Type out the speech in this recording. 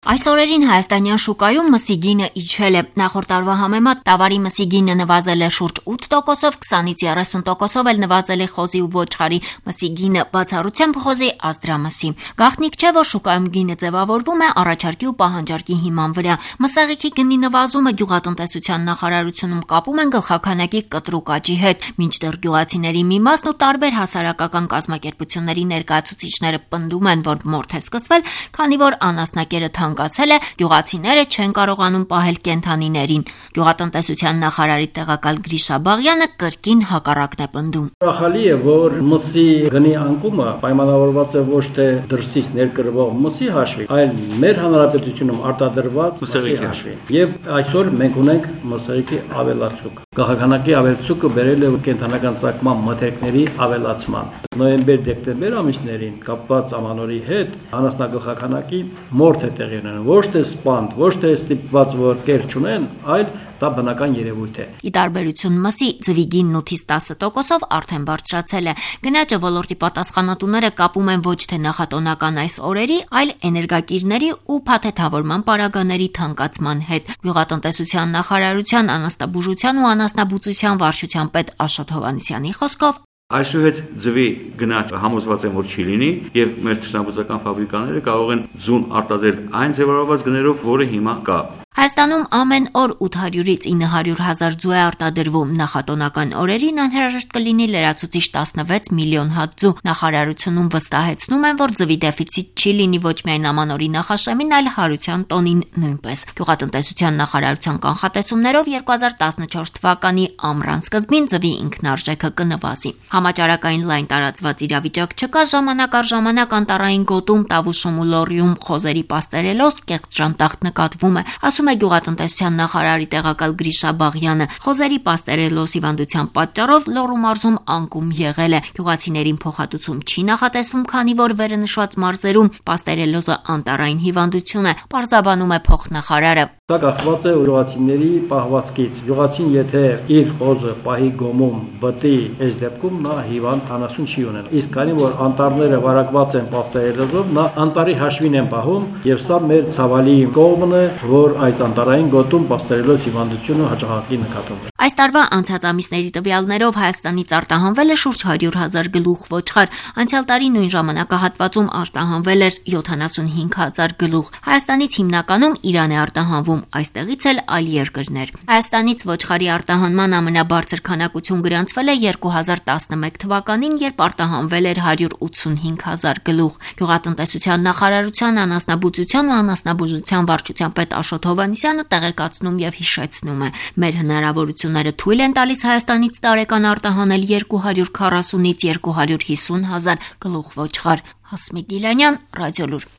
Այս օրերին հայաստանյան շուկայում մսի գինը իջել է, նախորդ տարվա համեմատ տավարի մսի գինը նվազել է շուրջ 8%, 20-ից 30%-ով էլ նվազել է խոզի ու ոչխարի մսի գինը, բացառությամբ խոզի ազդրամսի։ Գաղտնիք չէ, որ շուկայում գինը ձևավորվում է առաջարկի ու պահանջարկի հիման վրա։ Մսաղիքի գնի նվազումը գյուղատնտեսության նախարարությունում կապում են գլխաքանակի կտրուկ աճի հետ, մինչդեռ գյուղացիների մի մասն ու տարբեր հասարակական կազմակերպությունների ներկայացուցիչները պնդում են, որ մորթ է սկսվել, քանի որ անասնակերը ցանկացել է, գյուղացիները չեն կարողանում պահել կենդանիներին։ Գյուղատնտեսության նախարարի տեղակալ Գրիշա Բաղյանը կրկին հակառակն է պնդում։ Ուրախալի է, որ մսի գնի անկումը պայմանավորված է ոչ թե դրսից ներկրվող մսի հաշվի, այլ մեր հանրապետությունում արտադրված մսի հաշվի։ Եվ այսօր մենք ունենք մսի ավելացուկ։ Գաղափարի ավելացուկը բերել է կենդանական ծագման մթերքների ավելացման։ Նոյեմբեր-դեկտեմբեր ամիսներին կապված ամանորի հետ անասնագլխականակի մորթ է տեղի ունենում, ոչ թե սպանդ, ոչ թե ստիպված որ կեր չունեն, այլ դա բնական երևույթ է։ Ի տարբերություն մսի, ձվի գինն 8-ից 10%-ով արդեն բարձրացել է։ Գնաճը ոլորտի պատասխանատուները կապում են ոչ թե նախատոնական այս օրերի, այլ էներգակիրների ու փաթեթավորման պարագաների թանկացման հետ։ Գյուղատնտեսության նախարարության անասնաբուժության ու անասնաբուծության վարչության պետ Աշոտ Հովհաննիսյանի խոսքով Այսուհետ ձվի գնաճ համոզված եմ, որ չի լինի, եւ մեր թշնամբուծական ֆաբրիկաները կարող են ձուն արտադրել այն ձևավորված գներով, որը հիմա կա։ Հայաստանում ամեն օր 800-ից 900 հազար ձու է արտադրվում։ Նախատոնական օրերին անհրաժեշտ կլինի լրացուցիչ 16 միլիոն հատ ձու։ Նախարարությունում վստահեցնում են, որ ձվի դեֆիցիտ չի լինի ոչ միայն ամանորի նախաշեմին, այլ հարության տոնին նույնպես։ Գյուղատնտեսության նախարարության կանխատեսումներով 2014 թվականի ամռան սկզբին ձվի ինքնարժեքը կնվազի։ Համաճարակային լայն տարածված իրավիճակ չկա, ժամանակ առ ժամանակ անտառային գոտում, Տավուշում ու Լոռիում խոզերի պաստերելոց կեղծ ժանտախտ նկատվում է, ասում է գյուղատնտեսության նախարարի տեղակալ Գրիշա Բաղյանը։ Խոզերի պաստերելոս հիվանդության պատճառով Լոռու մարզում անկում եղել է։ Գյուղացիներին փոխհատուցում չի նախատեսվում, քանի որ վերնշված մարզերում պաստերելոզը անտառային հիվանդություն է, պարզաբանում է փոխնախարարը։ Դա կախված է գյուղացիների պահվածքից։ Գյուղացին եթե իր խոզը պահի գոմում բտի, այս դեպքում նա հիվանդ անասուն չի ունենա։ Իսկ քանի որ անտառները վարակված են պաստերելոզով, նա անտառի հաշվին են պահում, եւ սա մեր ցավալի կողմն է, որ այդ անտառային գոտում պաստերելոզ հիվանդությունը հաճախակի նկատվում է։ Այս տարվա անցած ամիսների տվյալներով Հայաստանից արտահանվել է շուրջ 100,000 գլուխ ոչխար։ Անցյալ տարի նույն ժամանակահատվածում արտահանվել էր 75,000 գլուխ։ Հայաստանից հիմնականում Իրան է արտահանվում, այստեղից էլ այլ երկրներ։ Հայաստանից ոչխարի արտահանման ամենաբարձր քանակություն գրանցվել է 2011 թվականին, երբ արտահանվել էր 185,000 գլուխ։ Գյուղատնտեսության նախարարության անասնաբուծության ու անասնաբուժության վարչության պետ Աշոտ Հովհաննիսյանը տեղեկացնում եւ հիշեցնում է. մեր հնարավորությունները թույլ են տալիս Հայաստանից տարեկան արտահանել 240-ից 250,000 գլուխ ոչխար։ Հասմիկ Գիլանյան, Ռադիոլուր։